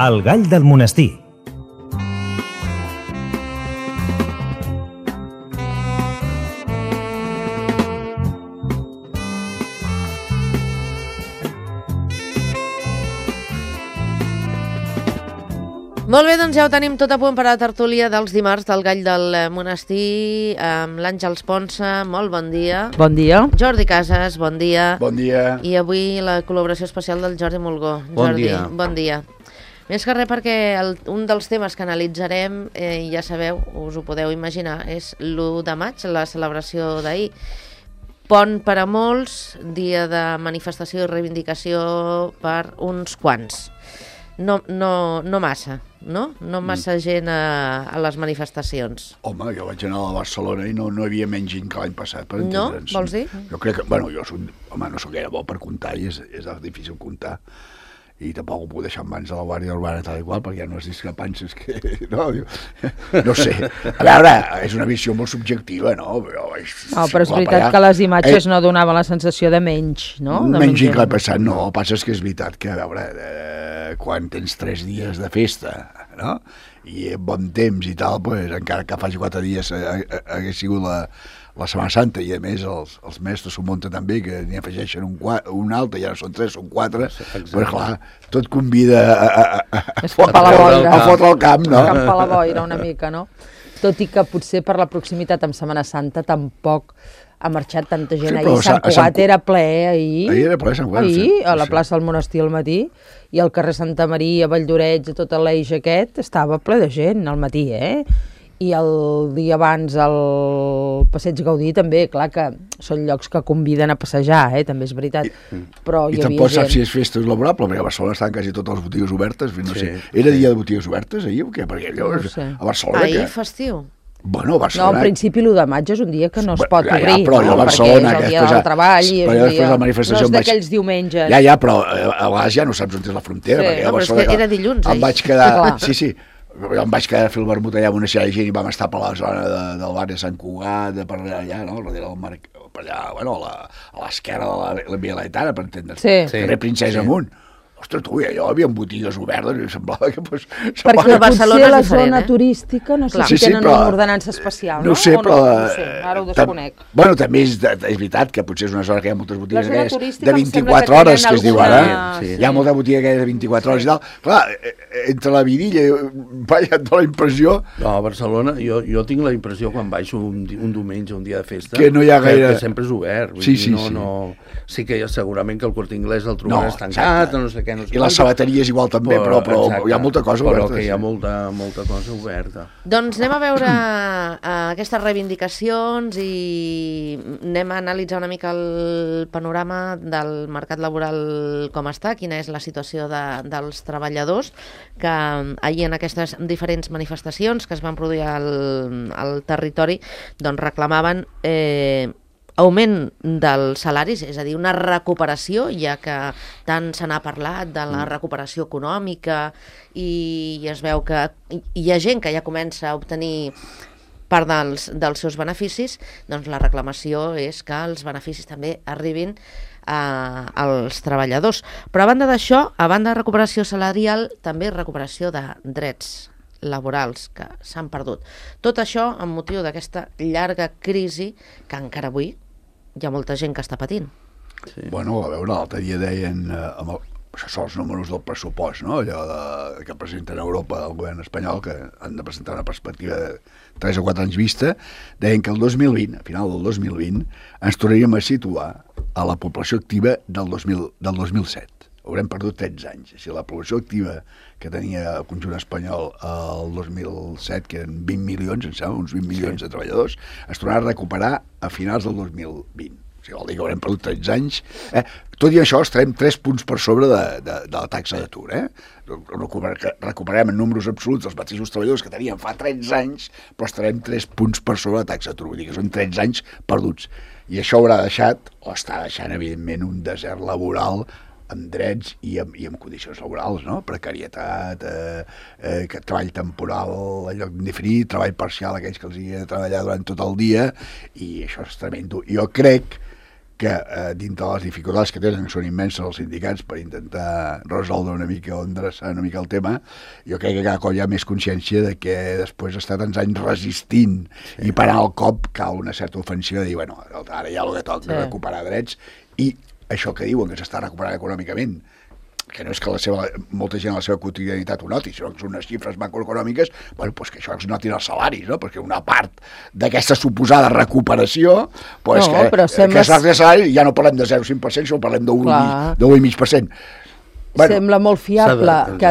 El gall del monestir. Molt bé, doncs ja ho tenim tot a punt per a la tertúlia dels dimarts del Gall del Monestir, amb l'Àngels Ponsa, molt bon dia. Bon dia. Jordi Casas, bon dia. Bon dia. I avui la col·laboració especial del Jordi Mulgó. Bon Jordi, dia. Bon dia. Més que res perquè un dels temes que analitzarem, ja sabeu, us ho podeu imaginar, és l'1 de maig, la celebració d'ahir. Pont per a molts, dia de manifestació i reivindicació per uns quants. No massa, no? No massa gent a les manifestacions. Home, jo vaig anar a Barcelona i no hi havia menys gent que l'any passat, per entendre'ns. No? Vols dir? Jo crec que, bueno, no soc gaire bo per comptar i és difícil comptar. I tampoc ho puc deixar en mans de la Guàrdia Urbana tal i qual, perquè hi ha unes discrepàncies que... No sé. A veure, és una visió molt subjectiva, no? Però és veritat que les imatges no donaven la sensació de menys, no? Menys gent que l'any passat, no. El que passa és que és veritat que, a veure, quan tens 3 dies de festa, no?, i bon temps i tal, pues, encara que faci 4 dies hagués sigut la Setmana Santa, i a més els mestres s'ho munten també, que n'hi afegeixen un altre, ja no són 3, són 4, però clar, tot convida a fotre el camp, no? Camp a la boira una mica, no? Tot i que potser per la proximitat amb Setmana Santa tampoc ha marxat tanta gent. Ahir Sant Cugat era ple, ahir. Ahir era ple, Sant Cugat. Ahir, a la plaça del Monestir al matí, i al carrer Santa Maria, Valldoreix, a tot l'eix aquest, estava ple de gent al matí, I el dia abans al Passeig Gaudí també, clar que són llocs que conviden a passejar, també és veritat, però hi havia gent. I tampoc saps si és festa laborable, perquè a Barcelona estan quasi totes les botigues obertes, no sé, era dia de botigues obertes ahir o què? Perquè allò, a Barcelona... Ahir festiu? Bueno, Barcelona... No, en principi l'1 de maig és un dia que no es pot obrir, però a Barcelona, perquè és el dia del treball i és un dia... No és d'aquells diumenges. Ja, però a vegades ja no saps on és la frontera, perquè a Barcelona... Però és que era dilluns, em vaig quedar... Sí, jo em vaig quedar a fer el vermut allà amb una sèrie de gent i vam estar per la zona del barri de Sant Cugat, per allà, no?, darrere del mar, per allà, bueno, a l'esquerra de la Via Laetana, per entendre's. Carrer Princesa amunt. Ostres, tu, allò hi havia botigues obertes i semblava que... Perquè potser la zona turística, no sé si tenen una ordenança especial, no? No ho sé, però... No sé, ara ho desconec. Bueno, també és veritat que potser és una zona que hi ha moltes botigues de 24 hores, que es diu ara. Hi ha molta botiga de 24 hores i tal. Clar, entre la vidilla, vaja, et dona la impressió... No, a Barcelona, jo tinc la impressió quan baixo un diumenge, un dia de festa, que no hi ha gaire... que sempre és obert. Sí. Sí que segurament que el Corte Inglés el trobaràs tancat, no sé què, no sé i les sabateries igual també, però hi ha molta cosa oberta. Però que hi ha molta cosa oberta. Doncs anem a veure aquestes reivindicacions i anem a analitzar una mica el panorama del mercat laboral com està, quina és la situació dels treballadors que ahir en aquestes diferents manifestacions que es van produir al territori doncs reclamaven augment dels salaris, és a dir, una recuperació, ja que tant se n'ha parlat de la recuperació econòmica i es veu que hi ha gent que ja comença a obtenir part dels seus beneficis, doncs la reclamació és que els beneficis també arribin als treballadors. Però a banda d'això, a banda de recuperació salarial, també recuperació de drets laborals que s'han perdut. Tot això amb motiu d'aquesta llarga crisi que encara avui hi ha molta gent que està patint. Bueno, a veure, l'altre dia deien, això són els números del pressupost, no?, allò que presenten a Europa el govern espanyol, que han de presentar una perspectiva de 3 o 4 anys vista, deien que el 2020, a final del 2020, ens tornaríem a situar a la població activa del 2007. Haurem perdut 13 anys. Si la població activa que tenia el conjunt espanyol el 2007, que eren 20 milions, em sembla, uns 20 milions de treballadors, es tornarà a recuperar a finals del 2020. O sigui, vol dir que haurem perdut 13 anys. Tot i això, estarem 3 punts per sobre de la taxa d'atur. Recuperem en números absoluts els mateixos treballadors que teníem fa 13 anys, però estarem 3 punts per sobre de la taxa d'atur. Vull dir que són 13 anys perduts. I això haurà deixat, o està deixant, evidentment, un desert laboral amb drets i amb condicions laborals, no? Precarietat, treball temporal a lloc indefinit, treball parcial, aquells que els hi ha de treballar durant tot el dia, i això és tremendo. Jo crec que dintre de les dificultats que tenen, que són immenses els sindicats per intentar resoldre una mica o endreçar una mica el tema, jo crec que cada cop hi ha més consciència de que després d'estar tants anys resistint i parar el cop cal una certa ofensiva de dir, bueno, ara hi ha el que toca recuperar drets, i això que diuen que s'està recuperant econòmicament, que no és que molta gent a la seva quotidianitat ho noti, sinó que són unes xifres macroeconòmiques, bueno, doncs que això es notin els salaris, no? Perquè una part d'aquesta suposada recuperació, doncs no, que es de salari, ja no parlem de 0,5%, sinó parlem de 1,5%. Bueno, sembla molt fiable que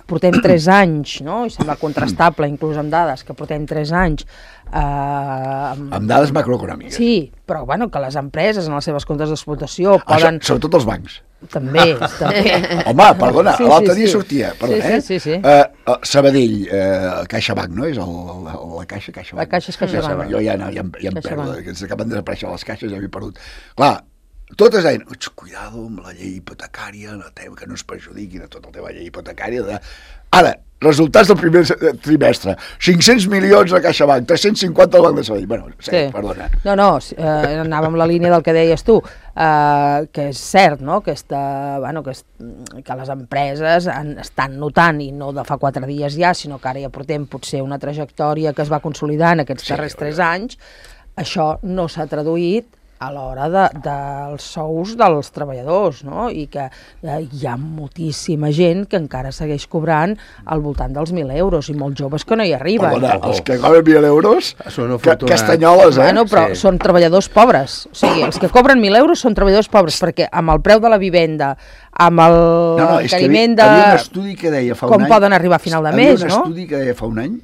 portem 3 anys, no? I sembla contrastable, inclús amb dades, que portem 3 anys. Amb dades macroeconòmiques. Sí, però bueno, que les empreses en les seves comptes d'explotació poden... Sobretot els bancs. També. Home, perdona, l'altre dia sortia, sí. Sabadell, CaixaBank, no? És la Caixa, CaixaBank. La Caixa és CaixaBank. Jo ja em perdo, que ens acaben de desaparèixer les caixes, ja m'he perdut. Clar, totes deien, cuidado amb la llei hipotecària, que no es perjudiquin a tot el tema llei hipotecària. Ara, resultats del primer trimestre, 500 milions a CaixaBank, 350 al Banc de Sabadell. Bueno, sí, perdona. No, anava amb la línia del que deies tu, que és cert, no? Que les empreses estan notant, i no de fa 4 dies ja, sinó que ara ja portem potser una trajectòria que es va consolidar en aquests darrers 3 anys, això no s'ha traduït a l'hora dels sous dels treballadors, no? I que hi ha moltíssima gent que encara segueix cobrant al voltant dels 1.000 euros i molts joves que no hi arriben. Perdona, els que cobren 1.000 euros, castanyoles, Bueno, però són treballadors pobres. O sigui, els que cobren 1.000 euros són treballadors pobres, perquè amb el preu de la vivenda, amb el encariment de... Hi havia un estudi que deia fa un any... Com poden arribar a final de mes, no? Hi havia un estudi que deia fa un any,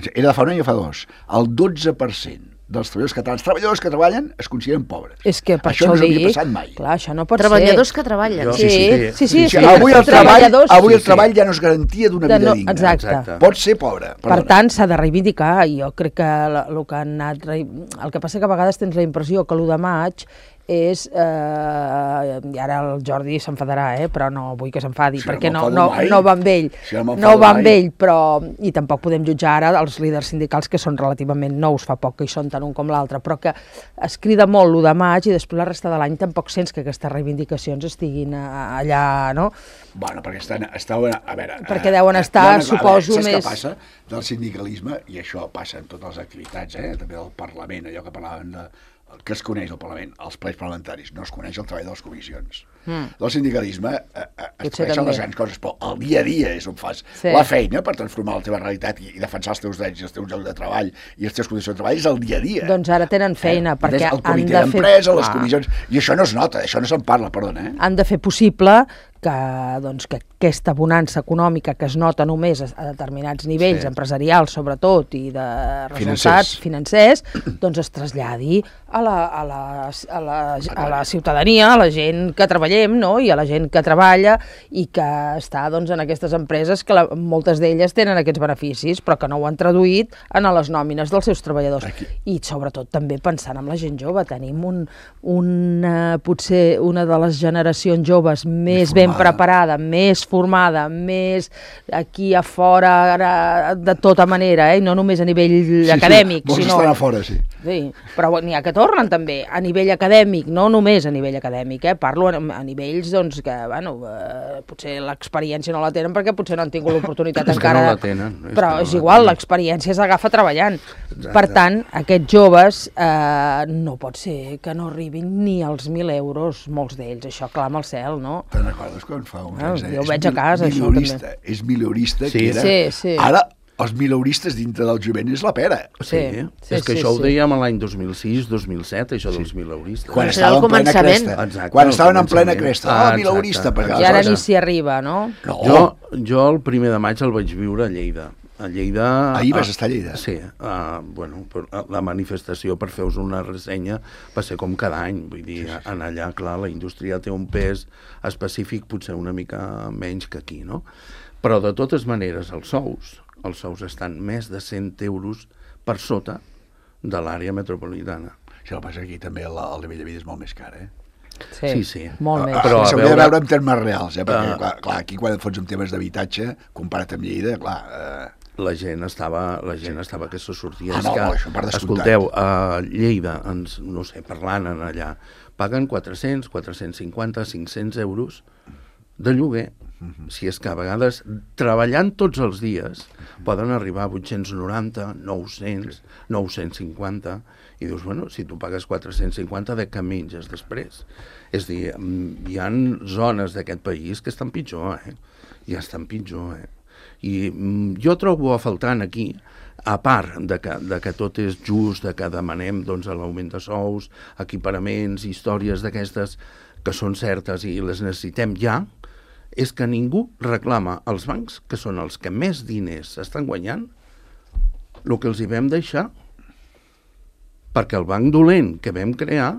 era de fa un any o fa 2, el 12% dels treballadors que treballen es consideren pobres. És que per això no s'havia passat mai. Clar, això no pot treballadors que treballen. Sí. Avui el treball ja no és garantia d'una vida digna. Exacte. Pot ser pobre. Per tant, s'ha de reivindicar, i jo crec que el que han anat... El que passa que a vegades tens la impressió que l'1 de maig és, i ara el Jordi s'enfadarà, però no vull que s'enfadi, perquè no va amb ell, però, i tampoc podem jutjar ara els líders sindicals que són relativament nous, fa poc que hi són tant un com l'altre, però que es crida molt l'1 de maig i després la resta de l'any tampoc sents que aquestes reivindicacions estiguin allà, no? Bueno, perquè estaven, a veure... Perquè deuen estar, suposo, més... Saps què passa del sindicalisme? I això passa en totes les activitats, també del Parlament, allò que parlàvem de... que es coneix el Parlament, els plens parlamentaris, no es coneix el treball de les comissions. Del sindicalisme es coneixen les grans coses, però el dia a dia és on fas la feina per transformar la teva realitat i defensar els teus drets i els teus llocs de treball i les teves condicions de treball, és el dia a dia. Doncs ara tenen feina, perquè han de fer... El comitè d'empresa, les comissions... I això no es nota, això no se'n parla, perdona. Han de fer possible que aquesta bonança econòmica que es nota només a determinats nivells empresarials, sobretot, i de resultats financers, doncs es traslladi a la ciutadania, a la gent que treballem, no? I a la gent que treballa i que està en aquestes empreses que moltes d'elles tenen aquests beneficis, però que no ho han traduït en les nòmines dels seus treballadors. I sobretot també pensant en la gent jove, tenim potser una de les generacions joves més ben preparada, més formada, més aquí a fora de tota manera, i no només a nivell acadèmic. Molts estan a fora, sí. Sí, però n'hi ha que tornen també, a nivell acadèmic, no només a nivell acadèmic, parlo a nivells que, potser l'experiència no la tenen perquè potser no han tingut l'oportunitat encara. No la tenen. Però és igual, l'experiència s'agafa treballant. Per tant, aquests joves no pot ser que no arribin ni als 1.000 euros, molts d'ells, això clama al cel, no? Te'n recordes quan fa uns anys? Jo ho veig a casa, això també. És mileurista, que era... Ara, els mileuristes dintre del jovent és la pera. Sí, és que això ho dèiem l'any 2006-2007, això dels mileuristes. Quan estaven en plena cresta. Quan estaven en plena cresta. Mileurista. I ara ni s'hi arriba, no? Jo el 1 de maig el vaig viure a Lleida. A Lleida... Ahir vas estar a Lleida? Sí. La manifestació, per fer-vos una ressenya, va ser com cada any. Vull dir, en allà, clar, la indústria té un pes específic, potser una mica menys que aquí, no? Però, de totes maneres, els sous estan més de 100 euros per sota de l'àrea metropolitana. Si el passa aquí també el nivell de vida és molt més car, Sí. Molt més. Però s'hauria de veure en termes reals, perquè, clar, aquí quan et fots en temes d'habitatge, comparat amb Lleida, clar... la gent estava que se sortia. Això per descomptat. Escolteu, a Lleida, no sé, parlant allà, paguen 400, 450, 500 euros de lloguer. Si és que a vegades, treballant tots els dies, poden arribar a 890, 900, 950, i dius, bueno, si tu pagues 450, de què menges després? És a dir, hi ha zones d'aquest país que estan pitjor, ja estan pitjor, I jo trobo a faltant aquí, a part de que tot és just, de que demanem doncs, l'augment de sous, equiparaments, històries d'aquestes que són certes i les necessitem ja, és que ningú reclama als bancs, que són els que més diners estan guanyant, el que els hi vam deixar, perquè el banc dolent que vam crear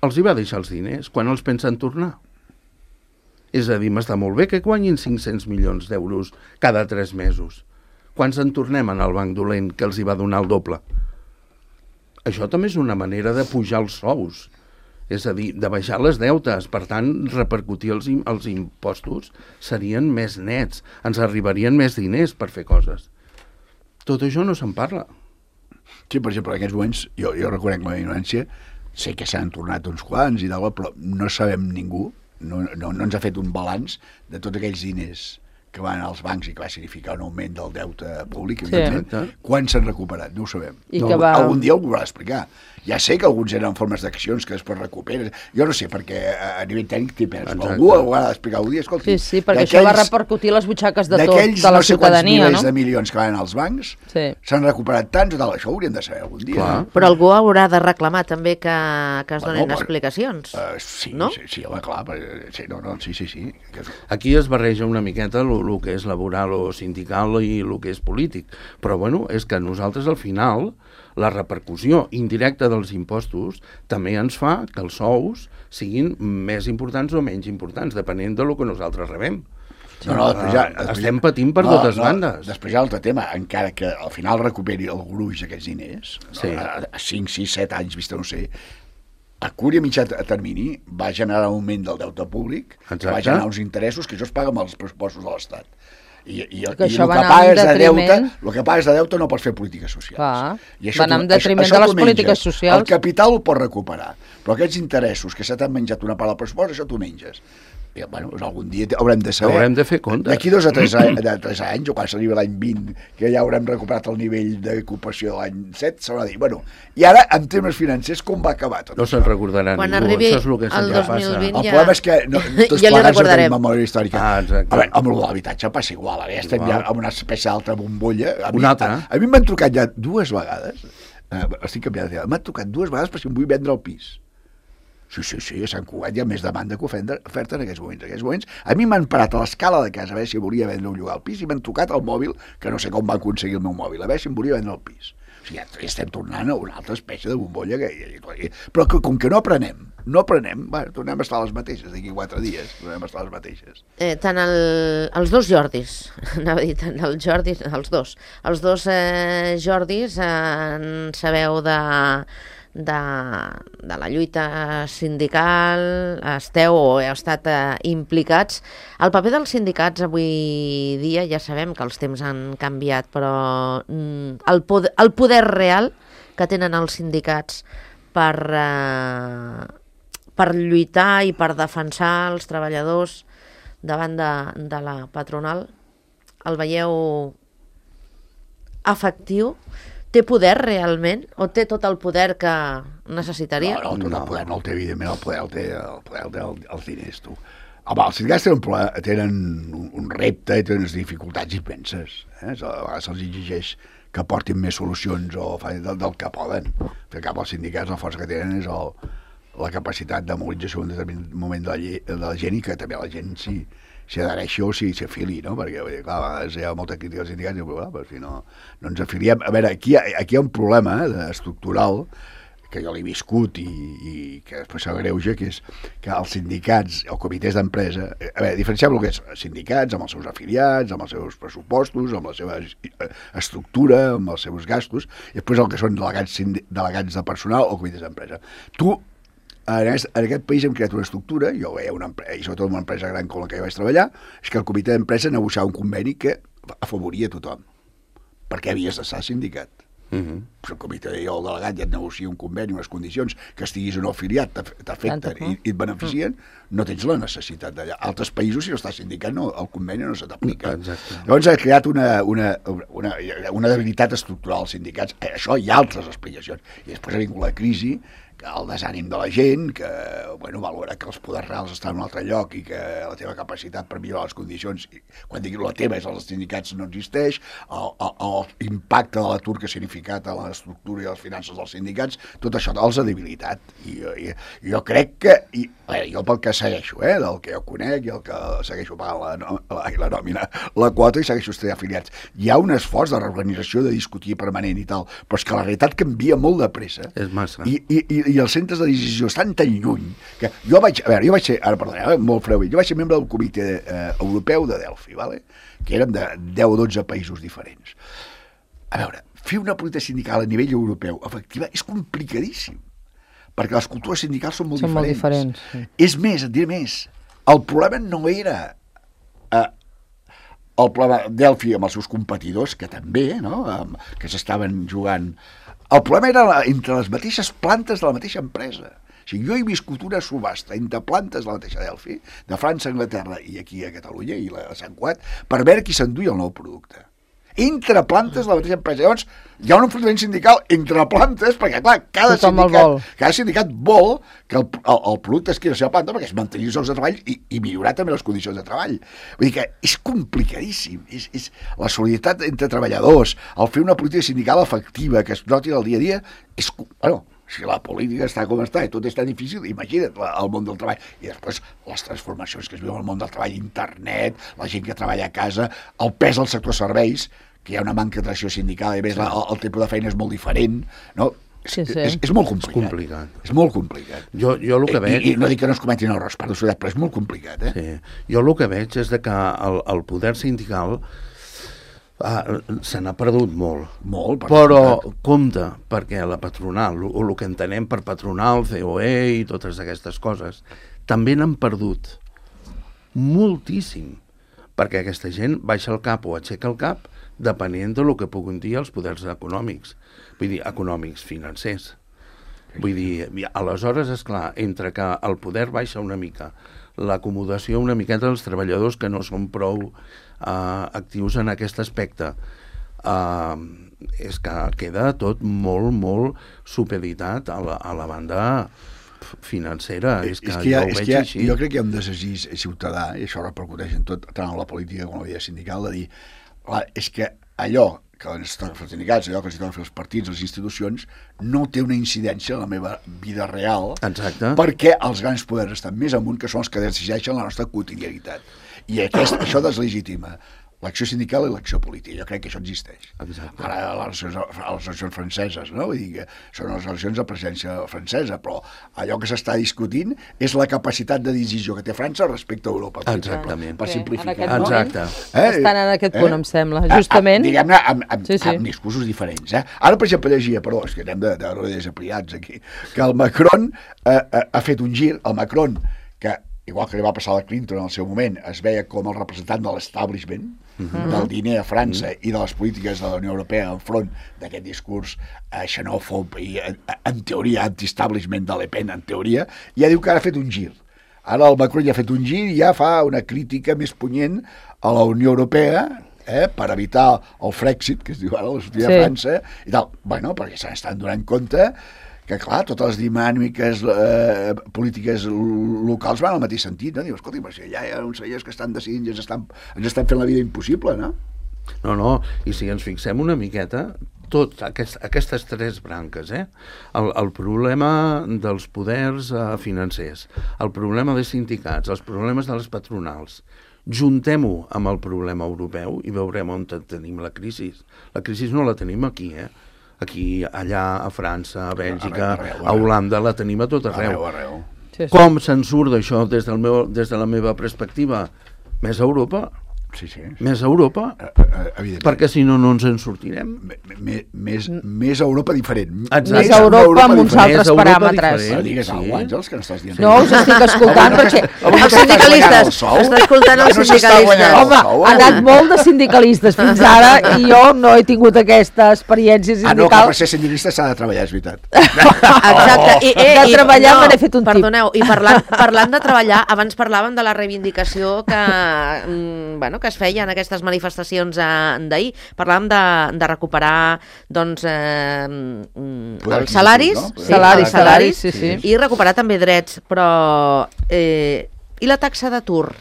els hi va deixar els diners quan els pensen tornar. És a dir, m'està molt bé que guanyin 500 milions d'euros cada 3 mesos. Quants en tornem al banc dolent que els hi va donar el doble? Això també és una manera de pujar els sous. És a dir, de baixar les deutes, per tant, repercutir els impostos serien més nets, ens arribarien més diners per fer coses. Tot això no se'n parla. Sí, per exemple, en aquests moments, jo reconec la meva ignorància, sé que s'han tornat uns quants i tal, però no sabem ningú, no ens ha fet un balanç de tots aquells diners que van als bancs i que va significar un augment del deute públic, quan s'han recuperat, no ho sabem. Algun dia ho haurà d'explicar. Ja sé que alguns eren en formes d'accions que després recuperes. Jo no sé, perquè a nivell tècnic t'hi perds. Algú ho haurà d'explicar algun dia. Escolti, sí, perquè això va repercutir les butxaques de la ciutadania, no sé quants milers de milions que van als bancs, s'han recuperat tants o tal. Això ho hauríem de saber algun dia. Però algú haurà de reclamar també que es donin explicacions. Sí, no? Sí, home, clar. Sí. Aquí es barreja una miqueta el que és laboral o sindical i el que és polític. Però, bueno, és que nosaltres al final la repercussió indirecta dels impostos també ens fa que els sous siguin més importants o menys importants, depenent del que nosaltres rebem. Estem patint per totes bandes. Després hi ha l'altre tema, encara que al final recuperi el gruix d'aquests diners, a 5, 6, 7 anys, vista no sé, a curt i a mitjà termini va generar un augment del deute públic, que va generar uns interessos que això es paga amb els pressupostos de l'Estat. I el que pagues de deute no pots fer polítiques socials. Va anar en detriment de les polítiques socials. El capital ho pots recuperar, però aquests interessos que se t'han menjat una part del pressupost, això t'ho menges. I, bueno, algun dia haurem de saber. Haurem de fer compte. D'aquí 2 a 3 anys, o quan s'arriba l'any 20, que ja haurem recuperat el nivell d'ocupació de l'any 7, s'haurà de dir, bueno, i ara, en termes financers, com va acabar tot? No se'n recordarà ningú. Quan arribi el 2020 ja... El problema és que tots plegats no tenim memòria històrica. A veure, amb l'habitatge passa igual, ara ja estem ja amb una espècie d'altra bombolla. A mi m'han trucat ja 2 vegades, estic canviant de tema, m'han trucat 2 vegades per si em vull vendre el pis. Sí, a Sant Cugat hi ha més demanda que oferta en aquests moments. En aquests moments, a mi m'han parat a l'escala de casa a veure si volia vendre un llogar al pis i m'han trucat al mòbil, que no sé com va aconseguir el meu mòbil, a veure si em volia vendre el pis. O sigui, ja estem tornant a una altra espècie de bombolla. Però com que no aprenem, tornem a estar les mateixes, d'aquí 4 dies, tornem a estar les mateixes. Tant els dos Jordis, anava a dir, tant el Jordi, els dos Jordis en sabeu de la lluita sindical, esteu o heu estat implicats. El paper dels sindicats avui dia, ja sabem que els temps han canviat, però el poder real que tenen els sindicats per lluitar i per defensar els treballadors davant de la patronal, el veieu efectiu? Té poder realment? O té tot el poder que necessitaria? No, tot el poder no el té, evidentment, el poder el té els diners, tu. Home, els sindicats tenen un repte i tenen unes dificultats immenses. A vegades se'ls exigeix que portin més solucions del que poden. Al cap els sindicats la força que tenen és la capacitat de mobilització en un determinat moment de la gent i que també la gent s'hi adhereixi o s'hi afili, no? Perquè, clar, a vegades hi ha molta crítica als sindicats i però si no ens afiliem... A veure, aquí hi ha un problema estructural que jo l'he viscut i que després s'agreuja, que és que els sindicats o comitès d'empresa... A veure, diferenciem el que és sindicats amb els seus afiliats, amb els seus pressupostos, amb la seva estructura, amb els seus gastos, i després el que són delegats de personal o comitès d'empresa. En aquest país hem creat una estructura, jo veia i sobretot una empresa gran com la que jo vaig treballar, és que el comitè d'empresa negociava un conveni que afavoria tothom. Per què havies d'estar sindicat? Però el comitè i el delegat ja et negocia un conveni, unes condicions que estiguis o no afiliat, t'afecten i et beneficien, no tens la necessitat d'allà. Altres països, si no estàs sindicat, el conveni no se t'aplica. Llavors ha creat una debilitat estructural als sindicats. Això hi ha altres explicacions. I després ha vingut la crisi, el desànim de la gent, que valora que els poders reals estan en un altre lloc i que la teva capacitat per millorar les condicions, quan digui la teva és els sindicats, no existeix, l'impacte de l'atur que ha significat a l'estructura i a les finances dels sindicats, tot això els ha debilitat. I jo crec que, jo pel que segueixo, del que jo conec i el que segueixo pagant la nòmina, la quota i segueixo estar afiliats, hi ha un esforç de reorganització, de discutir permanent i tal, però és que la realitat canvia molt de pressa. És massa. I els centres de decisió estan tan lluny que jo vaig ser, molt freu, jo vaig ser membre del comitè europeu de Delphi, que érem de 10 o 12 països diferents. A veure, fer una política sindical a nivell europeu efectiva és complicadíssim, perquè les cultures sindicals són molt diferents. Sí. És més, et diré més, el problema no era el problema Delphi amb els seus competidors, que també, que s'estaven jugant. El problema era entre les mateixes plantes de la mateixa empresa. O sigui, jo he viscut una subhasta entre plantes de la mateixa Delphi, de França, Anglaterra i aquí a Catalunya, i a Sant Cugat, per veure qui s'enduia el nou producte. Entre plantes de la mateixa empresa. Llavors, hi ha un enfrontament sindical entre plantes, perquè, clar, cada sindicat vol que el producte es quedi a la seva planta perquè es mantenir els llocs de treball i millorar també les condicions de treball. Vull dir que és complicadíssim. És la solidaritat entre treballadors, el fer una política sindical efectiva que es noti al dia a dia, és... Si la política està com està i tot és tan difícil, imagina't el món del treball. I després les transformacions que es viuen al món del treball, internet, la gent que treballa a casa, el pes del sector serveis, que hi ha una manca de tradició sindical, i a més el tipus de feina és molt diferent, no? Sí. És molt complicat. És molt complicat. Jo el que veig... I no dic que no es cometin errors, però és molt complicat, Sí. Jo el que veig és que el poder sindical se n'ha perdut molt. Però compte, perquè la patronal, el que entenem per patronal, COE i totes aquestes coses, també n'han perdut moltíssim, perquè aquesta gent baixa el cap o aixeca el cap depenent del que puguin dir els poders econòmics, vull dir, econòmics, financers. Vull dir, aleshores, esclar, entre que el poder baixa una mica, l'acomodació una miqueta dels treballadors que no són prou actius en aquest aspecte, és que queda tot molt, molt supeditat a la banda financera. Jo crec que hi ha un desig ciutadà, i això repercuteix en tot, tant en la política com en la vida sindical, de dir, és que allò que ens toca fer els sindicats, allò que ens toca fer els partits, les institucions, no té una incidència en la meva vida real. Exacte. Perquè els grans poders estan més amunt, que són els que decideixen la nostra quotidianitat. I això deslegitima l'acció sindical i l'acció política. Jo crec que això existeix. Exacte. Ara les eleccions franceses, no? Vull dir que són les eleccions de presidència francesa, però allò que s'està discutint és la capacitat de decisió que té França respecte a Europa. Exactament. Per simplificar. Exacte. Estan en aquest punt, em sembla. Justament... Diguem-ne, amb discursos diferents. Ara, per exemple, llegia, perdó, és que anem de desapriats aquí, que el Macron ha fet un gir, el Macron, que igual que li va passar a la Clinton en el seu moment, es veia com el representant de l'establishment, del diner a França i de les polítiques de la Unió Europea enfront d'aquest discurs xenòfob i, en teoria, anti-establishment de Le Pen, en teoria, ja diu que ara ha fet un gir. Ara el Macron ja ha fet un gir i ja fa una crítica més punyent a la Unió Europea, per evitar el Frexit, que es diu ara, la sortida de França, i tal. Bueno, perquè se n'estan donant compte que, clar, totes les dinàmiques polítiques locals van al mateix sentit, no? Diu, escolta, però si allà hi ha uns senyors que estan decidint i ens estan fent la vida impossible, no? No, i si ens fixem una miqueta, aquestes tres branques, el problema dels poders financers, el problema dels sindicats, els problemes de les patronals, juntem-ho amb el problema europeu i veurem on tenim la crisi. La crisi no la tenim aquí, Aquí, allà, a França, a Bèlgica, a Holanda, la tenim a tot arreu. Com se'n surt d'això des de la meva perspectiva? Més a Europa. Sí, sí. Més Europa, Evidentment. perquè si no, no ens en sortirem. Més Europa diferent. Exacte. Més Europa amb uns Més altres Europa paràmetres. diferent. No digues Sí. alguna cosa, Àngels, que n'estàs dient. No, us estic escoltant perquè... Els sindicalistes, està escoltant els sindicalistes. Home, ha anat molt de sindicalistes fins ara i jo no he tingut aquesta experiència no, que sindical. per ser sindicalista s'ha de treballar, és veritat. Exacte. De treballar me n'he fet un tip. Perdoneu, i parlant de treballar, abans parlàvem de la reivindicació que es feia en aquestes manifestacions d'ahir. Parlàvem de recuperar doncs, els salaris, no? Salaris, sí. I recuperar també drets, però i la taxa d'atur?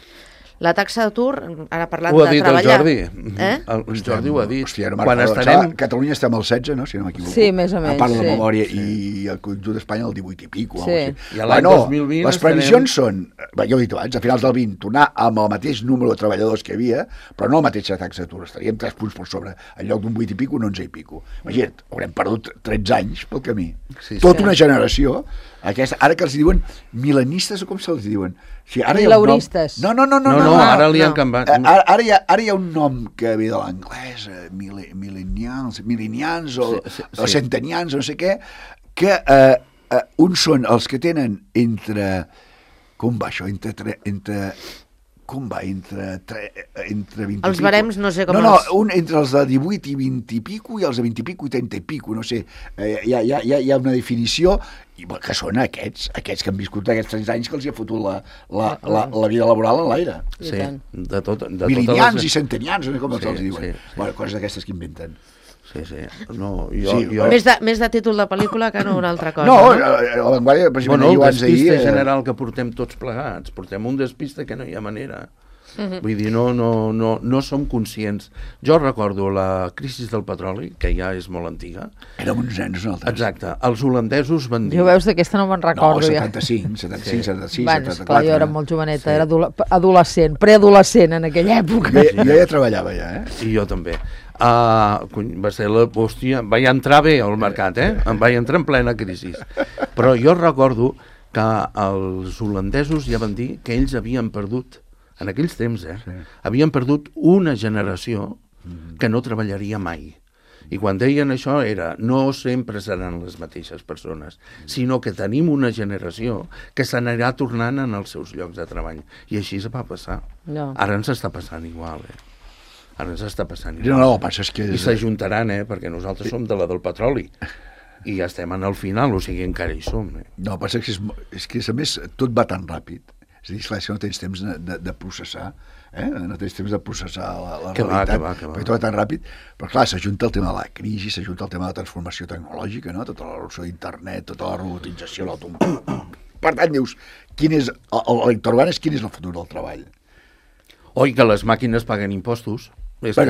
La taxa d'atur, ara parlant Ho ha de dit treballar... el Jordi. El Jordi ho ha dit. Hòstia, no Quan estarem... Catalunya estem al 16, no? Si no m'equivoco. Sí, més o menys, A part de la sí. memòria, i el conjunt d'Espanya el 18 i pico. Sí. I a l'any 2020 les previsions són, ja ho he dit abans, a finals del 20, tornar amb el mateix número de treballadors que hi havia, però no la mateixa taxa d'atur. Estaríem 3 punts per sobre. En lloc d'un 8 i pico, 11 i pico. Imagina't, haurem perdut 13 anys pel camí. Sí, Tota una generació, ara que els diuen milenistes, o com se'ls diuen? Sí, ara Milauristes. No, ara li han canviat. Ara hi ha un nom que ve de l'anglès, milenians o centenians, no sé què, que uns són els que tenen entre... Com va això? Com va? Entre 20 Els barems no sé com entre els de 18 i 20 i pico i els de 20 i pico i 30 i pico, no sé. Hi ha una definició que són aquests que han viscut aquests 30 anys que els hi ha fotut la vida laboral en l'aire. Sí, de Milenians i centenians, no sé com se'ls diuen. Sí. Bueno, coses d'aquestes que inventen. Sí. No, Més de títol de pel·lícula que no una altra cosa. No, la Vanguardia, precisament, el abans d'ahir... despiste general que portem tots plegats. Portem un despiste que no hi ha manera. Vull dir, no som conscients. Jo recordo la crisi del petroli, que ja és molt antiga. Érem uns nens nosaltres. Exacte. Els holandesos van dir... Jo veus d'aquesta no me'n recordo. No, 75, 76, Bueno, 74. esclar, jo era molt joveneta, era adolescent, preadolescent en aquella època. Jo ja treballava, I jo també. Va ser l'hòstia, vaig entrar bé al mercat, em vaig entrar en plena crisi. Però jo recordo que els holandesos ja van dir que ells havien perdut, en aquells temps, havien perdut una generació que no treballaria mai. I quan deien això era, no sempre seran les mateixes persones, sinó que tenim una generació que s'anirà tornant en els seus llocs de treball. I així es va passar. No. Ara ens està passant igual, Ara ens està passant igual. No, el passa és que... I s'ajuntaran, perquè nosaltres som de la del petroli. I ja estem en el final, o sigui, encara hi som. No, el passa és que a més tot va tan ràpid. És a dir, esclar, si no tens temps de processar, no tens temps de processar la realitat, perquè tot va tan ràpid, però clar, s'ajunta el tema de la crisi, s'ajunta el tema de la transformació tecnològica, no? Tota la revolució d'internet, tota la robotització, Per tant, dius, quin és l'interrogant és quin és el futur del treball? Oi, que les màquines paguen impostos. Però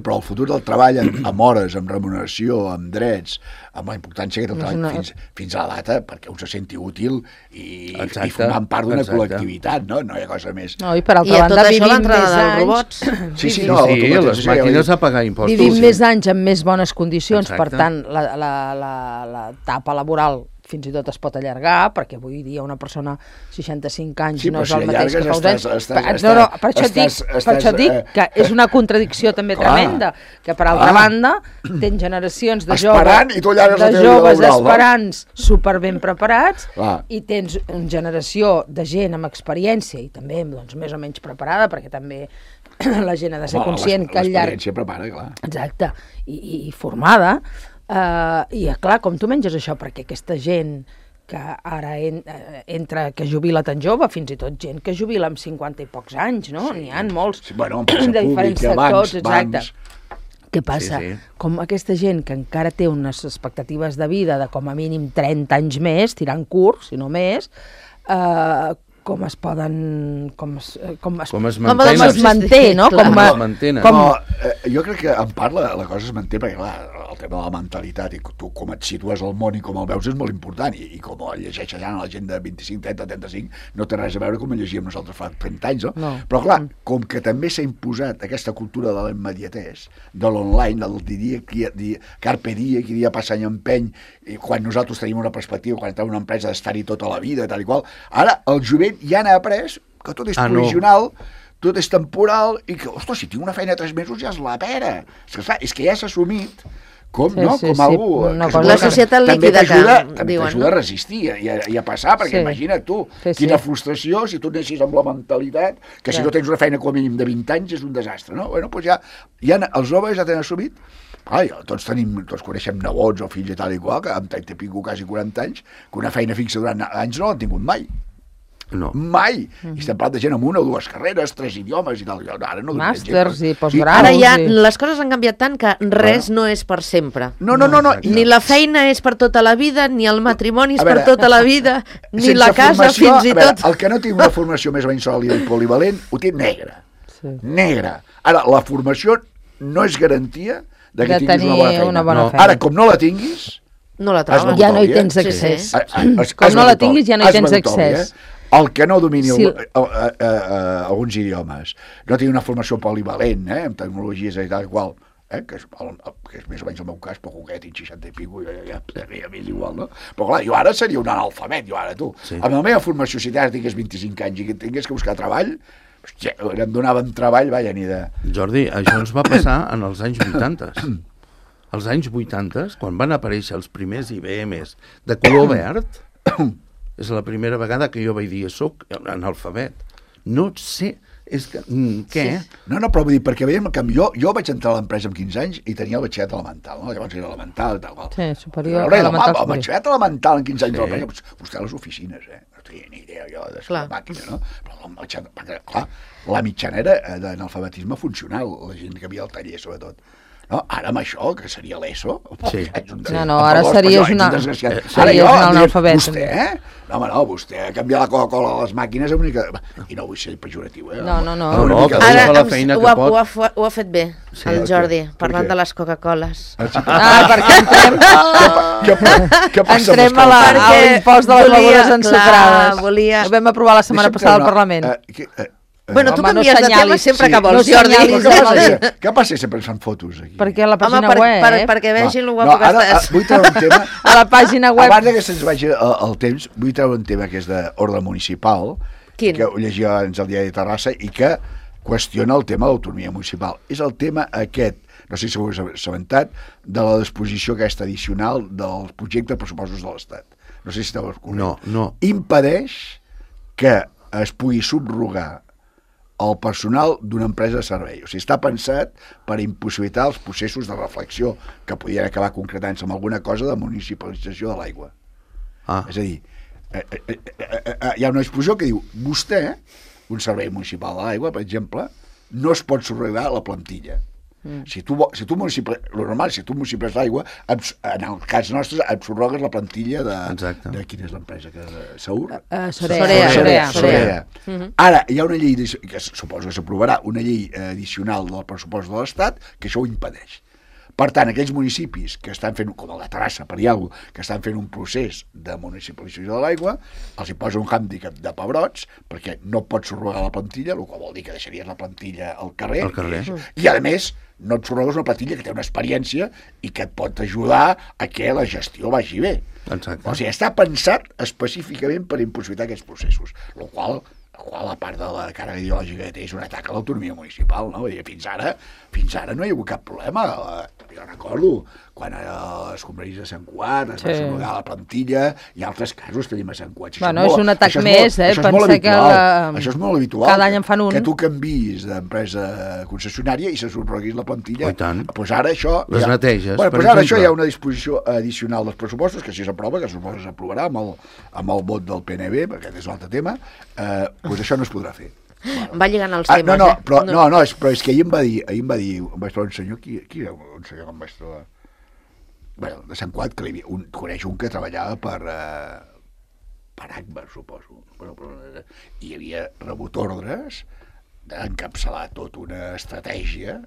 el futur del treball amb hores, amb remuneració, amb drets, amb la importància que té el treball fins a la data, perquè un se senti útil i formant part d'una col·lectivitat, no? No hi ha cosa més. No, i per altra banda, vivim més anys... Sí, les màquines a pagar impostos. Vivim més anys amb més bones condicions, per tant, l'etapa laboral fins i tot es pot allargar, perquè avui dia una persona 65 anys no és el mateix que fa uns anys. No, per això dic que és una contradicció també tremenda, que per altra banda tens generacions de joves esperants superben preparats i tens una generació de gent amb experiència i també més o menys preparada, perquè també la gent ha de ser conscient que al llarg... L'experiència prepara, clar. Exacte, i formada. I clar, com tu menges això? Perquè aquesta gent que ara entra, que jubila tan jove, fins i tot gent que jubila amb 50 i pocs anys, no? N'hi ha molts de diferents sectors, exacte. Què passa? Com aquesta gent que encara té unes expectatives de vida de com a mínim 30 anys més, tirant curt, si no més, com es manté, no? Jo crec que en part la cosa es manté perquè, clar, el tema de la mentalitat i tu com et situes al món i com el veus és molt important i com el llegeixes ja la gent de 25, 30, 35 no té res a veure com el llegíem nosaltres fa 30 anys, no? Però clar, com que també s'ha imposat aquesta cultura de la immediatès, de l'online, del carpe diem, que dia passa any empeny, i quan nosaltres tenim una perspectiva, quan tenim una empresa d'estar-hi tota la vida, tal i qual, ara el jovent ja n'ha après que tot és provisional, tot és temporal, i que, ostres, si tinc una feina 3 mesos ja és la pera. És que ja s'ha assumit com algú... La societat líquida que diuen. T'ajuda a resistir i a passar, perquè imagina't tu, quina frustració si tu anessis amb la mentalitat que si no tens una feina com a mínim de 20 anys és un desastre, no? Bueno, doncs ja els joves ja tenen assumit. Tots coneixem nebots o fills i tal i qual, que amb 30 i pico, quasi 40 anys, que una feina fixa durant anys no l'han tingut mai. No. Mai. I estem parlant de gent amb 1 o 2 carreres, 3 idiomes i tal. Ara no màsters i postgraus. Ara ja les coses han canviat tant que res no és per sempre. No. Ni la feina és per tota la vida, ni el matrimoni és per tota la vida, ni la casa fins i tot. El que no té una formació més o menys sòlida i polivalent ho té negre. Negre. Ara, la formació no és garantia de que tinguis una bona feina. Ara, com no la tinguis... No la trobes. Ja no hi tens accés. Com no la tinguis ja no hi tens accés. El que no domini alguns idiomes, no tingui una formació polivalent, amb tecnologies i tal qual, que és més o menys el meu cas, poquet, 60 i pico, ja m'és igual, no? Però clar, jo ara seria un analfabet, Amb la meva formació, si ara tingués 25 anys i que tingués que buscar treball, hòstia, em donaven treball, ni de... Jordi, això ens va passar en els anys 80. Als anys 80, quan van aparèixer els primers IBMs de color verd, és la primera vegada que jo vaig dir soc analfabet. No sé, és que... Què? No, però vull dir, perquè veiem que jo vaig entrar a l'empresa amb 15 anys i tenia el batxillerat elemental, no? Llavors era elemental, tal qual. Sí, superior, elemental. El batxillerat elemental amb 15 anys a l'empresa, vostè a les oficines, no tenia ni idea jo de la màquina, no? Però clar, la mitjana era d'analfabetisme funcional, la gent que havia al taller, sobretot. No, ara amb això, que seria l'ESO... No, ara series un analfabet. Vostè, vostè ha canviat la Coca-Cola a les màquines i no vull ser pejoratiu, No. Ara ho ha fet bé, el Jordi, parlant de les Coca-Coles. Perquè entrem a l'impost de les begudes ensucrades. Ho vam aprovar la setmana passada al Parlament. Bueno, tu canvies de tema sempre que vols, Jordi. Què passa sempre ens fan fotos aquí? Perquè a la pàgina web... Perquè vegin el guapo que estàs. Vull treure un tema... A la pàgina web... Abans que se'ns vagi el temps, vull treure un tema que és d'ordre municipal, que ho llegia abans al diari de Terrassa, i que qüestiona el tema de l'autonomia municipal. És el tema aquest, no sé si ho heu assabentat, de la disposició aquesta addicional del projecte de pressupostos de l'Estat. No sé si esteu al corrent. No. Impedeix que es pugui subrogar el personal d'una empresa de servei. O sigui, està pensat per impossibilitar els processos de reflexió que podien acabar concretant-se amb alguna cosa de municipalització de l'aigua. És a dir, hi ha una disposició que diu vostè, un servei municipal de l'aigua, per exemple, no es pot subrogar la plantilla. Si tu municiples l'aigua, en el cas nostre, et subrogues la plantilla de quina és l'empresa? Seur? Sorea. Ara, hi ha una llei, que suposo que s'aprovarà, una llei addicional del pressupost de l'Estat que això ho impedeix. Per tant, aquells municipis que estan fent, com el de Terrassa, per dir alguna cosa, que estan fent un procés de municipalització de l'aigua, els hi posa un hàndicap de pebrots, perquè no pots subrogar la plantilla, el qual vol dir que deixaries la plantilla al carrer. I, a més, no et subrogues una plantilla que té una experiència i que et pot ajudar a que la gestió vagi bé. Exacte. O sigui, està pensat específicament per impossibilitar aquests processos, el qual a part de la càrrega ideològica que té, és un atac a l'autonomia municipal, no? Fins ara no hi ha hagut cap problema. Jo recordo quan a les conferències de Sant Cugat es va subrogar la plantilla i altres casos tenim a Sant Cugat. Bueno, és un atac més, pensar que això és molt habitual. Cada any en fan un. Que tu canviïs d'empresa concessionària i se subroguis la plantilla. I tant. Doncs ara això... Les neteges, per exemple. Ara això hi ha una disposició addicional dels pressupostos, que si s'aprova, que suposo que s'aprovarà amb el vot del PNB, perquè aquest és un altre tema, doncs això no es podrà fer. Va lligant els temes, però és que ahir em va dir, em vaig trobar un senyor, qui era un senyor que em vaig trobar? Bueno, de Sant Cugat, que coneix un que treballava per Agbar, suposo. I havia rebut ordres d'encapçalar tota una estratègia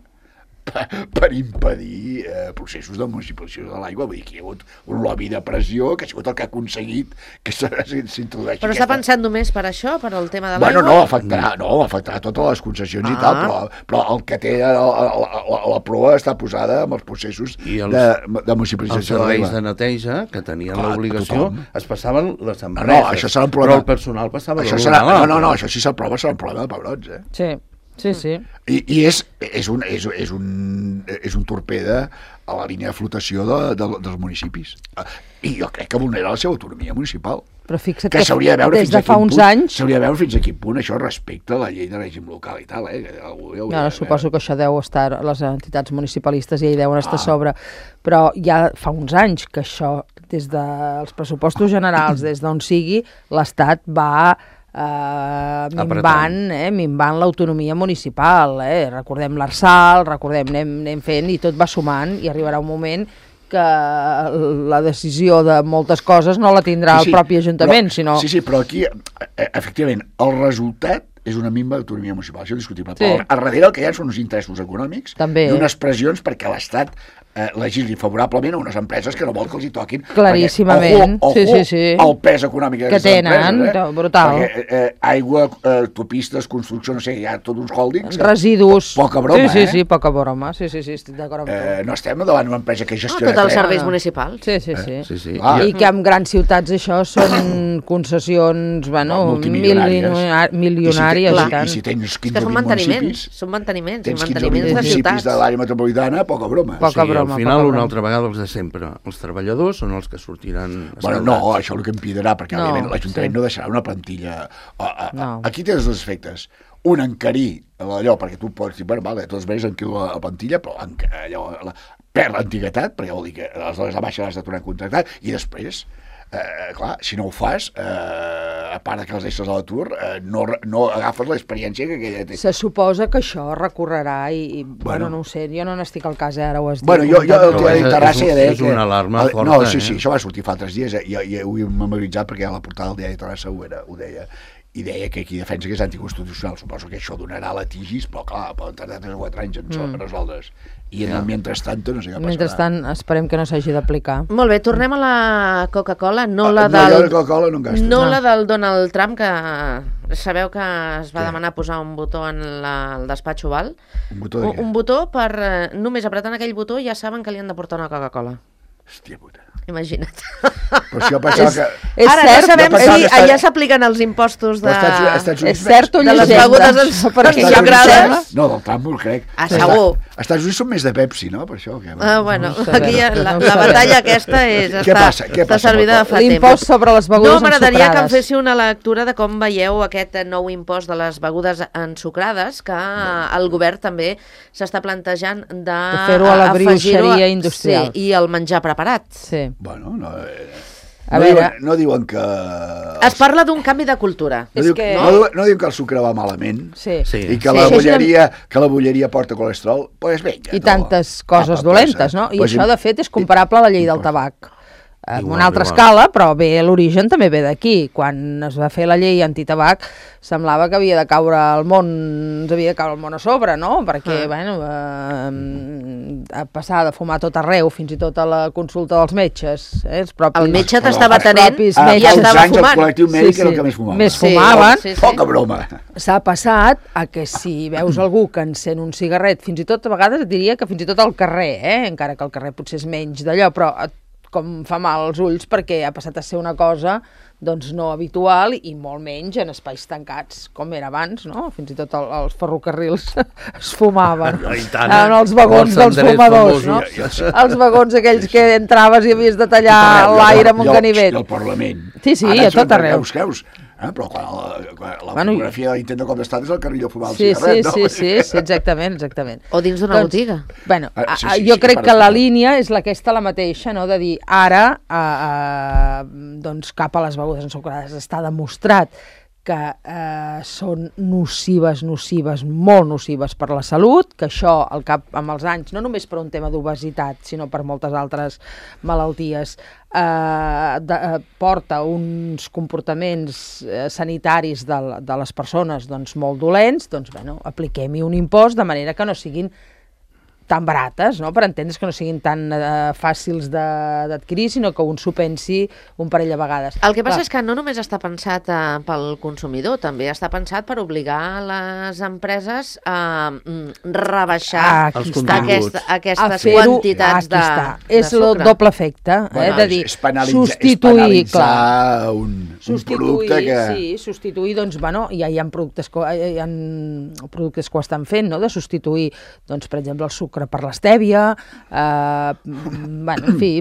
per impedir processos de municipalització de l'aigua. Vull dir que hi ha hagut un lobby de pressió que ha sigut el que ha aconseguit que s'introdueixi. Però està pensant només per això, per el tema de l'aigua? Bueno, no, afectarà totes les concessions i tal, però el que té la proa està posada amb els processos de municipalització de l'aigua. Els serveis de neteja, que tenien l'obligació, es passaven les empreses. No, això serà un problema. Però el personal passava No, això sí s'aprova, serà un problema de pebrots, Sí. I és un torpede a la línia de flotació dels municipis. I jo crec que vulnera la seva autonomia municipal. Però fixa't que s'hauria de veure des de fa uns anys... S'hauria de veure fins a quin punt això respecta la llei de règim local i tal, suposo que això deu estar, les entitats municipalistes ja hi deuen estar a sobre, però ja fa uns anys que això, des dels pressupostos generals, des d'on sigui, l'Estat va minvant l'autonomia municipal. Recordem l'Arsal, anem fent i tot va sumant i arribarà un moment que la decisió de moltes coses no la tindrà el propi Ajuntament, sinó... Sí, però aquí, efectivament, el resultat és una minva d'autonomia municipal, això és discutible. Però a darrere el que hi ha són uns interessos econòmics i unes pressions perquè l'Estat legisli favorablement a unes empreses que no vol que els hi toquin. Claríssimament. El pes econòmic que tenen, brutal. Perquè aigua, autopistes, construcció, no sé, hi ha tots uns hòldings. Residus. Poca broma, Sí, poca broma. Sí, estic d'acord amb tu. No estem davant una empresa que gestiona... Tots els serveis municipals. Sí. I que en grans ciutats això són concessions, milionàries. I si tens 15 o 20 municipis... Són manteniments de ciutats. Tens 15 municipis de l'àrea metropolitana, poca broma. Al final, una altra vegada, els de sempre. Els treballadors són els que sortiran escaldats. No, això el que impedirà, perquè òbviament l'Ajuntament no deixarà una plantilla... Aquí tens dos efectes. Un, encarir allò, perquè tu pots dir, de totes maneres enquilo la plantilla, però allò perd l'antiguitat, perquè vol dir que aleshores a baixa l'has de tornar a contractar, i després, clar, si no ho fas, a part que els deixes a l'atur, no agafes l'experiència que aquella té. Se suposa que això recorrerà i no ho sé, jo no n'estic al cas, ara ho has dit. Bueno, jo el que de Terrassa ja deia que... És una alarma forta, No, sí, això va sortir fa 3 dies, i ho he memoritzat perquè a la portada del diari de Terrassa ho deia, i deia que qui defensa que és anticonstitucional. Suposo que això donarà litigis, però clar, poden tardar 3 o 4 anys en resoldre's. I en el mentrestant no sé què passarà. Mentrestant esperem que no s'hagi d'aplicar. Molt bé, tornem a la Coca-Cola, no la del Donald Trump, que sabeu que es va demanar posar un botó en el despatx Oval. Un botó de què? Un botó per, només apretant aquell botó ja saben que li han de portar una Coca-Cola. Hòstia puta. Imagina't. Però això passava que... Ara no sabem si allà s'apliquen els impostos de... És cert o de les begudes ensucrades? No, del Trump ho crec. Segur. Els Estats Units són més de Pepsi, no? Per això. Bueno, aquí la batalla aquesta està servida de fa temps. L'impost sobre les begudes ensucrades. No, m'agradaria que em féssiu una lectura de com veieu aquest nou impost de les begudes ensucrades, que el govern també s'està plantejant de fer-ho a la brioixeria industrial. Sí, i el menjar preparat. Sí. Bueno, no diuen que... Es parla d'un canvi de cultura. No diuen que el sucre va malament i que la bolleria porta colesterol. Pues vinga. I tantes coses dolentes, no? I això, de fet, és comparable a la llei del tabac. En una altra escala, però l'origen també ve d'aquí. Quan es va fer la llei antitabac, semblava que havia de caure el món, ens havia de caure el món a sobre, no? Perquè, passar de fumar tot arreu, fins i tot a la consulta dels metges. El metge t'estava atenent i estava fumant. El col·lectiu mèdic era el que més fumava. Més fumaven. Poca broma. S'ha passat a que si veus algú que encén un cigarret, fins i tot a vegades et diria que fins i tot al carrer, encara que al carrer potser és menys d'allò, però com fa mal als ulls perquè ha passat a ser una cosa doncs no habitual i molt menys en espais tancats, com era abans, no? Fins i tot els ferrocarrils es fumaven en els vagons dels fumadors, no? Els vagons aquells que entraves i havies de tallar l'aire amb un ganivet. I el Parlament. Sí, a tot arreu. Però quan la fotografia de l'intent de cop d'estat és el carril de fumar el cigarret, no? Sí, exactament. O dins d'una botiga. Bueno, jo crec que la línia és aquesta la mateixa, no? De dir, ara, doncs cap a les begudes ensucrades està demostrat que són nocives, molt nocives per la salut, que això amb els anys, no només per un tema d'obesitat, sinó per moltes altres malalties, porta uns comportaments sanitaris de les persones doncs, molt dolents, doncs bueno, apliquem-hi un impost de manera que no siguin tan barates, no? Per entendre's que no siguin tan fàcils d'adquirir, sinó que un s'ho pensi un parell de vegades. El que passa és que no només està pensat pel consumidor, també està pensat per obligar les empreses a rebaixar els continguts. aquestes quantitats de És el doble efecte, de dir, substituir, clar, un producte que... Sí, substituir, doncs, bueno, hi ha productes que ho estan fent, no?, de substituir, doncs, per exemple, el sucre per l'estèvia, bueno, en fi,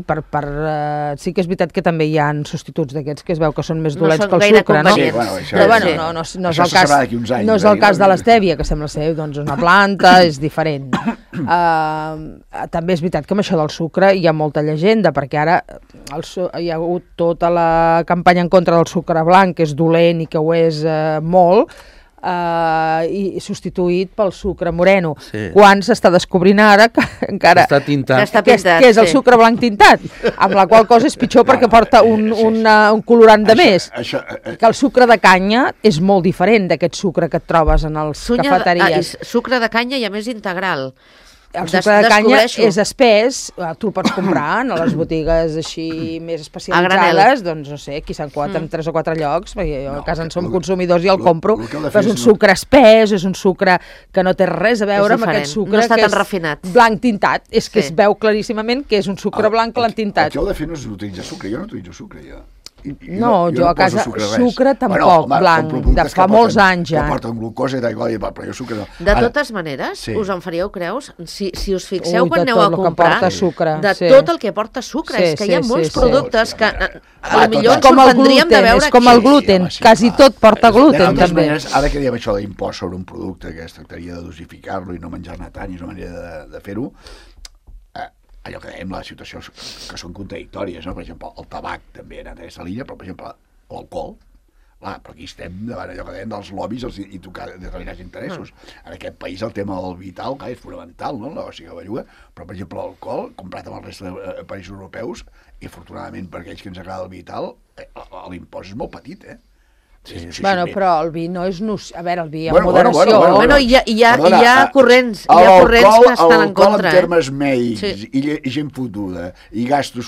sí que és veritat que també hi ha substituts d'aquests que es veu que són més dolents que el sucre, no? Sí, però bueno, no és el cas de l'estèvia, que sembla ser doncs, una planta, és diferent. També és veritat que amb això del sucre hi ha molta llegenda, perquè ara hi ha hagut tota la campanya en contra del sucre blanc, que és dolent i que ho és molt, i substituït pel sucre moreno, quan s'està descobrint ara que encara està tintat, que és el sucre blanc tintat, amb la qual cosa és pitjor perquè porta un colorant de més, que el sucre de canya és molt diferent d'aquest sucre que et trobes en els cafeteries. Sucre de canya i a més integral. El sucre de canya és espès, tu el pots comprar a les botigues així més especialitzades, doncs no sé, aquí s'han quadrat en 3 o 4 llocs, perquè a casa en som consumidors i el compro, però és un sucre espès, és un sucre que no té res a veure amb aquest sucre que és blanc tintat, és que es veu claríssimament que és un sucre blanc que l'han tintat. El que heu de fer no és utilitzar sucre, jo no utilitzo sucre, jo. No, jo a casa sucre tampoc, blanc, de fa molts anys ja. Que porten glucosa i tal, però jo sucre no. De totes maneres, us en faríeu creus? Si us fixeu quan aneu a comprar, de tot el que porta sucre, és que hi ha molts productes que potser ens sorprendríem de veure... És com el gluten, quasi tot porta gluten també. Ara que diem això d'impost sobre un producte, que es tractaria de dosificar-lo i no menjar-ne tant, i és una manera de fer-ho, allò que dèiem, les situacions que són contradictòries, no? Per exemple, el tabac també ha anat a aquesta línia, però per exemple, l'alcohol, clar, però aquí estem davant allò que dèiem dels lobbies i tocar determinats interessos. En aquest país el tema del vital, clar, és fonamental, no? La negoci que belluga, però per exemple l'alcohol, comprat amb el resta de països europeus, i afortunadament per aquells que ens agrada el vital, l'impost és molt petit, Bueno, però el vi no és... A veure, el vi amb moderació... Bueno, hi ha corrents que estan en contra. En termes mèdics, i gent fotuda, i gasto...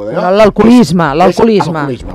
L'alcoholisme,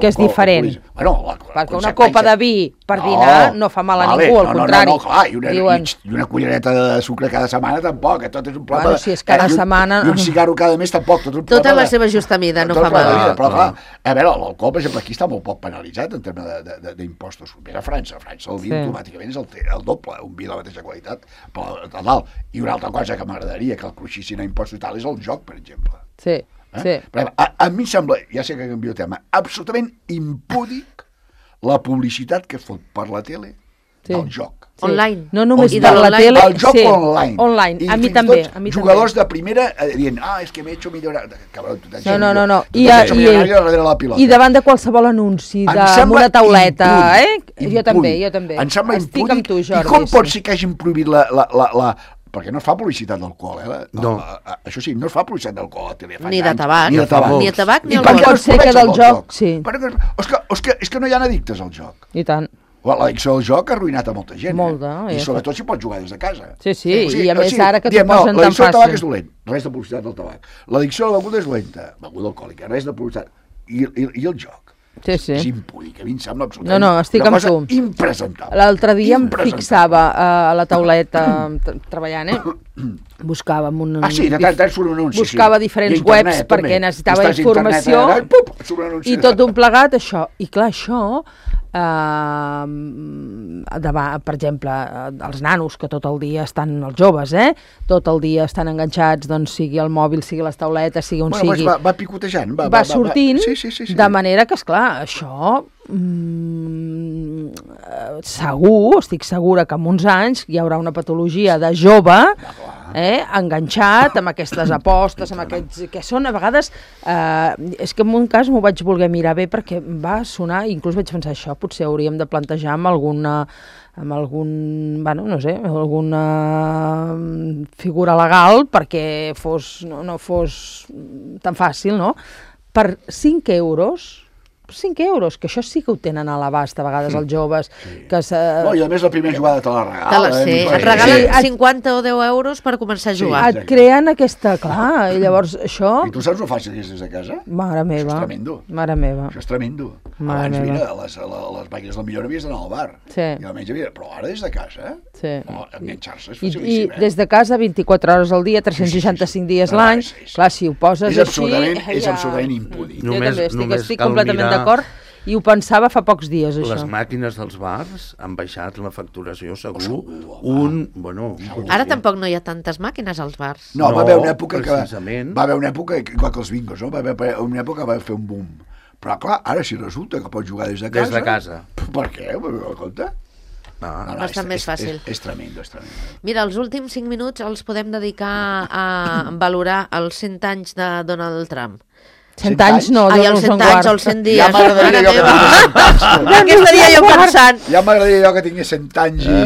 que és diferent. Perquè una copa de vi per dinar no fa mal a ningú, al contrari. I una cullereta de sucre cada setmana tampoc, tot és un plat... Bueno, si és cada setmana... I un cigarro cada mes tampoc, Tota la seva justa mida, no fa mal. Però clar, a veure, l'alcohol, per exemple, aquí està molt poc penalitzat en termes d'impostos. A França el vi automàticament és el doble, un vi de la mateixa qualitat, però a dalt. I una altra cosa que m'agradaria que el cruixissin a impostos i tal és el joc, per exemple. Sí. A mi em sembla, ja sé que canvio de tema, absolutament impúdic la publicitat que fot per la tele del joc. Online. No només per la tele, el joc online. Online, a mi també. Jugadors de primera dient, és que m'he hecho millonario. No. I davant de qualsevol anunci amb una tauleta, Jo també. Em sembla impúdic. Estic amb tu, Jordi. I com pot ser que hagin prohibit perquè no es fa publicitat d'alcohol, No. Això sí, no es fa publicitat d'alcohol a la tele. Ni de tabac. Ni de tabac, ni alcohol. Pot ser que del joc, sí. És que no hi ha addictes al joc. I tant. L'addicció al joc ha arruïnat a molta gent. Molta. I sobretot si pots jugar des de casa. Sí, i a més ara que t'ho posen tan fàcil. L'addicció al tabac és dolent, res de publicitat del tabac. L'addicció a la beguda és dolenta, beguda alcohòlica, res de publicitat. I el joc. Sí. És impúdic, a mi em sembla absolutament estic amb tu. Impresentable. L'altre dia em fixava a la tauleta treballant, buscàvem un... de tant surt un anunci. Buscava diferents webs perquè necessitava informació i tot un plegat, això. I clar, això... per exemple, els nanos que tot el dia estan, els joves, tot el dia estan enganxats, doncs sigui el mòbil, sigui les tauletes, sigui on sigui. Va picotejant, va sortint, de manera que, esclar, això estic segura que en uns anys hi haurà una patologia de jove enganxat amb aquestes apostes, amb aquests que són a vegades, és que en un cas m'ho vaig voler mirar bé perquè va sonar, inclús vaig pensar això, potser hauríem de plantejar amb alguna figura legal perquè no fos tan fàcil, no? Per 5 euros 5 euros, que això sí que ho tenen a l'abast a vegades els joves. Que No, i a més la primera jugada te la regala. Et regalen 50 o 10 euros per començar a jugar. Et creen aquesta... Clar, i llavors això... I tu saps lo fàcil que és des de casa? Mare meva. Això és tremendo. Mare meva. Això és tremendo. Mare Abans, meva. mira, les màquines del millor havies d'anar al bar. Sí. I almenys havia... Però ara des de casa, Sí. enganxar-se és I facilíssim, des de casa 24 hores al dia, 365 dies l'any, clar, si ho poses És així... absolutament impúdic. Jo també estic completament d'acord i ho pensava fa pocs dies, això. Les màquines dels bars han baixat la facturació, segur, Ara tampoc no hi ha tantes màquines als bars. No, va haver una època que... precisament. Va haver una època, igual que els bingos, no? Va haver una època que va fer un boom. Però, clar, ara si resulta que pots jugar des de casa... Des de casa. Per què? Compte? No, bastant més fàcil. És tremendo, és tremendo. Mira, els últims 5 minuts els podem dedicar a valorar els 100 anys de Donald Trump. 100 anys no, Ai, Déu els nos en 100 anys guard. o els 100 dies. Ja m'agradaria jo que tingués 100 anys. En què estaria jo pensant? Ja m'agradaria jo que tingués 100 anys i...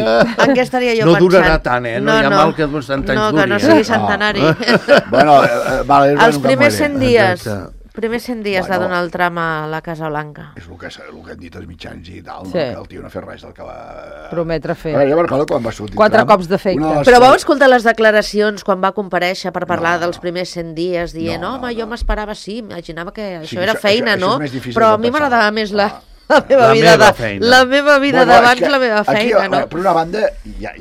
En què estaria jo No pensant? durarà tant, No hi ha mal que 100 anys No, duri. que no sigui centenari. Bueno, vale, Els primers 100 dies. Exacte. Primers 100 dies de Donald Trump a la Casa Blanca. És el que han dit els mitjans i tal, Sí. no? Que el tio no ha fet res del que va... Prometre fer. Jo recordo quan va sortir 4 Trump, cops d'efecte. una de les Però vau coses- escoltar les declaracions quan va comparèixer per parlar dels primers 100 dies, dient, No, home, jo m'esperava, sí, imaginava que Sí, això era això- feina, això no? és més difícil Però a de mi pensar. m'agradava més la La vida meva feina. la meva vida Bueno, és d'abans, que la meva aquí, feina, no? Per una banda,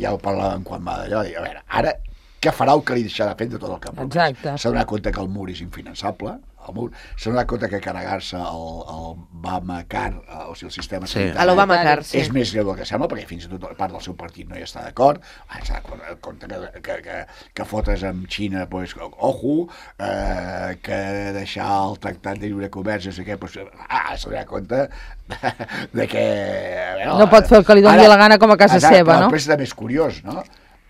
ja ho parlàvem quan va d'allò, a veure, ara, què farà el que li deixarà fer de tot el que ha promès? Exacte. S'ha donat compte que el mur és infinançable, s'ha donat compte que carregar-se el Obamacare, o sigui, el sistema Sí. sanitari, A l'Obamacare, sí. és més greu del que sembla, perquè fins i tot part del seu partit no hi està d'acord. S'ha donat compte que fotres amb Xina, pues, ojo, que deixar el tractat de lliure comerç, no sé què, pues, s'ha donat compte de que... A veure, No pot fer el que li doni la gana com a casa exacte, seva, no? Però és també és curiós, no?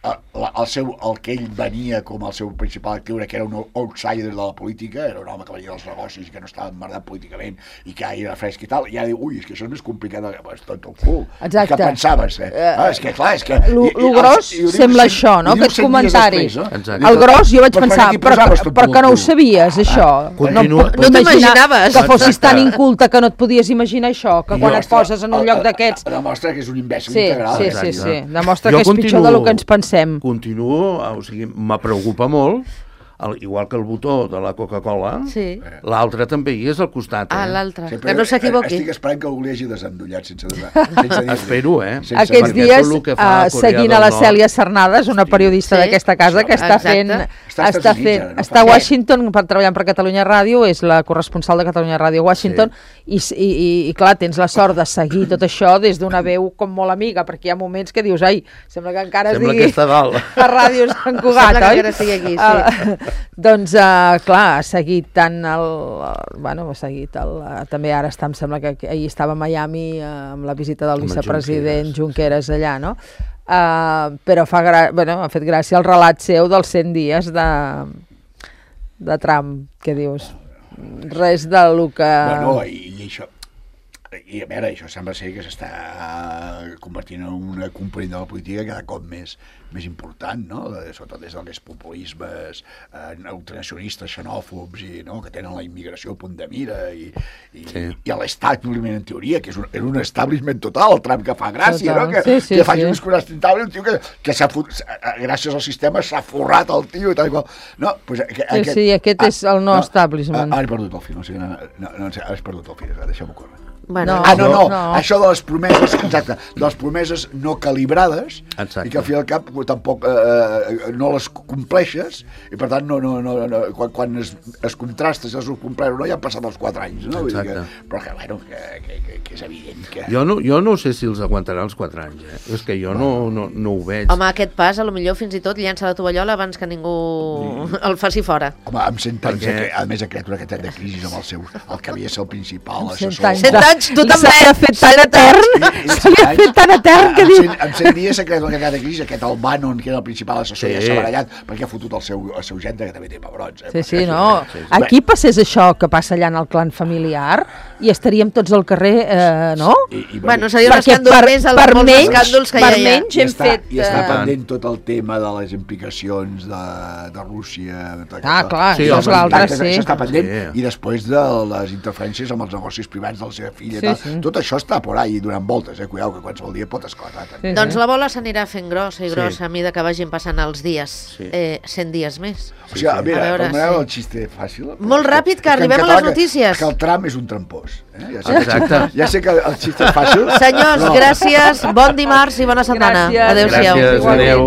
El que ell venia com el seu principal actiu era que era un outsider de la política, era un home que venia dels negocis i que no estava emmerdat políticament i que era fresc i tal, i ara diu, ui, és que això és més complicat és tot el cul. Exacte. Què pensaves? És que clar, és que... Lo gros sembla això, no? Aquest comentari. Exacte. El gros jo vaig Per pensar, aquí posaves tot però que no ho cul. sabies, això. Continua. No t'imaginaves. Que fossis Exacte. tan inculta que no et podies imaginar això, que quan et poses en un lloc d'aquests... Demostra que és un imbècil Sí, integral. sí, Exacte. sí. Demostra Jo que és pitjor del que ens pensem. Continuo, o sigui, me preocupa molt, igual que el botó de la Coca-Cola, Sí. l'altre també hi és al costat. Ah, l'altre, Sempre que no s'equivoqui. Estic esperant que algú li hagi desendollat sense dir-li. Espero, Sense Aquests perquè dies, tot el que fa Corea seguint del a la Nord- Cèlia Cernadas, una periodista Sí, d'aquesta casa, que està exacte. fent... Està als Estats Units, ara, no? Està a Washington per treballant per Catalunya Ràdio, és la corresponsal de Catalunya Ràdio a Washington, i clar, tens la sort de seguir tot això des d'una veu com molt amiga, perquè hi ha moments que dius, ai, sembla que encara es Sembla digui que està dalt. a Ràdio Sant Cugat, Sembla que oi? encara estigui aquí, sí. Doncs, clar, ha seguit tant bueno, ha seguit també ara em sembla que ahir estava a Miami amb la visita del Amb el vicepresident Junqueras allà, no? Però ha fet gràcia el relat seu dels 100 dies de Trump, que dius, res de lo que... Bueno, i això... I a veure, això sembla ser que s'està convertint en una component de la política cada cop més important, no? Sobretot des d'aquests populismes ultranacionalistes, xenòfobs, que tenen la immigració a punt de mira, i l'establishment, en teoria, que és un establishment total, el Trump que fa gràcia, Total. no? Que faci un discurs ostentable, un tio que gràcies al sistema s'ha forrat el tio i tal i qual. No, pues, sí, aquest és el no establishment. Ara he perdut el fil, no sé, ara he perdut el fil, deixeu-m'ho córrer. Bueno, No. Això de les promeses, exacte, de les promeses no calibrades, Exacte. i que al fi i al cap tampoc no les compleixes, i per tant quan es contrasta si les ho compleixes o no, ja han passat els 4 anys, no? Vull dir però que, bueno, que és evident que... Jo no sé si els aguantarà els 4 anys, És que jo no ho veig. home, aquest pas, a lo millor fins i tot llença la tovallola abans que ningú el faci fora. Home, amb 100 anys, a més ha creat una quantitat de crisis amb el que havia de ser el principal assessor. 100 anys Pebrots, tu també. Se li ha fet tan etern, se li ha fet tan etern que diu... En 100 dies s'ha creat la cada crisi, aquest el Bannon, que era el principal assessor, ja s'ha barallat, perquè ha fotut el seu gendre, que també té pebrots. Sí, no. Aquí passés això que passa allà en el clan familiar i estaríem tots al carrer, no? Bueno, seria un escàndol més als molts escàndols que ja hi ha. Per menys hem fet... I està pendent tot el tema de les implicacions de Rússia. Clar, sí, això és l'altre, sí. Això està pendent, i després de les interferències amb els negocis privats de la seva filla. Tot això està por ahí donant voltes, cuidao, que qualsevol dia pot esclatar. Doncs la bola s'anirà fent grossa i grossa a mida que vagin passant els dies. 100 dies més. O sigui, mira, permeteu el xiste fàcil. Molt ràpid, que arribem a les notícies. Que el tram és un trampós. Ja sé que el xiste és fàcil. Senyors, gràcies, bon dimarts i bona setmana. Adéu-siau. Gràcies, adéu.